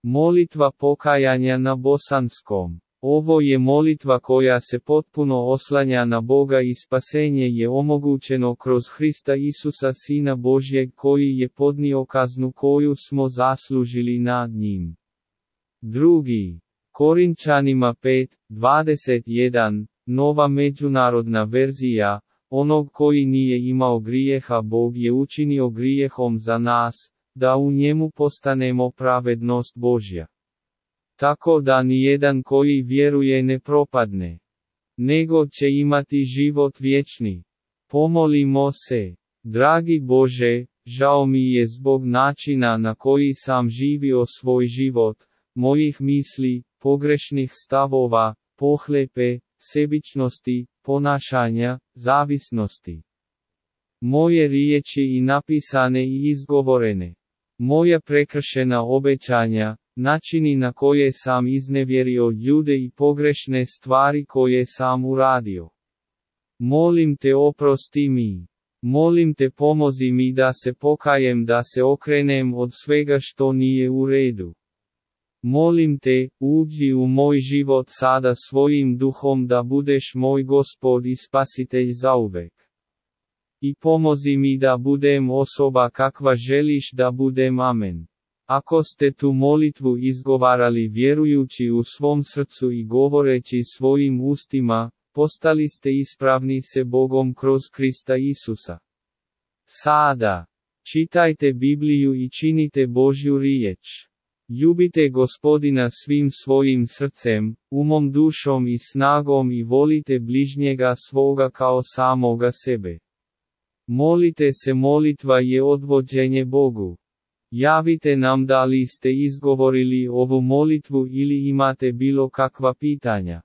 Molitva pokajanja na bosanskom. Ovo je molitva koja se potpuno oslanja na Boga i spasenje je omogućeno kroz Hrista Isusa Sina Božjeg koji je podnio kaznu koju smo zaslužili nad njim. 2. Korinčanima 5:21, Nova međunarodna verzija, onog koji nije imao grijeha Bog je učinio grijehom za nas, da u njemu postanemo pravednost Božja. Tako da nijedan koji vjeruje ne propadne, nego će imati život vječni. Pomolimo se. Dragi Bože, žao mi je zbog načina na koji sam živio svoj život, mojih misli, pogrešnih stavova, pohlepe, sebičnosti, ponašanja, zavisnosti. Moje riječi i napisane i izgovorene. Moja prekršena obećanja, načini na koje sam iznevjerio ljude i pogrešne stvari koje sam uradio. Molim te oprosti mi. Molim te pomozi mi da se pokajem, da se okrenem od svega što nije u redu. Molim te, uđi u moj život sada svojim duhom da budeš moj Gospod i Spasitelj zauvek. I pomozi mi da budem osoba kakva želiš da budem. Amen. Ako ste tu molitvu izgovarali vjerujući u svom srcu i govoreći svojim ustima, postali ste ispravni se Bogom kroz Krista Isusa. Sada, čitajte Bibliju i činite Božju riječ. Ljubite Gospodina svim svojim srcem, umom, dušom i snagom i volite bližnjega svoga kao samoga sebe. Molite se, molitva je odvođenje Bogu. Javite nam da li ste izgovorili ovu molitvu ili imate bilo kakva pitanja.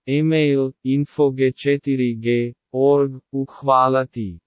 Email info.g4g.org. Hvala ti.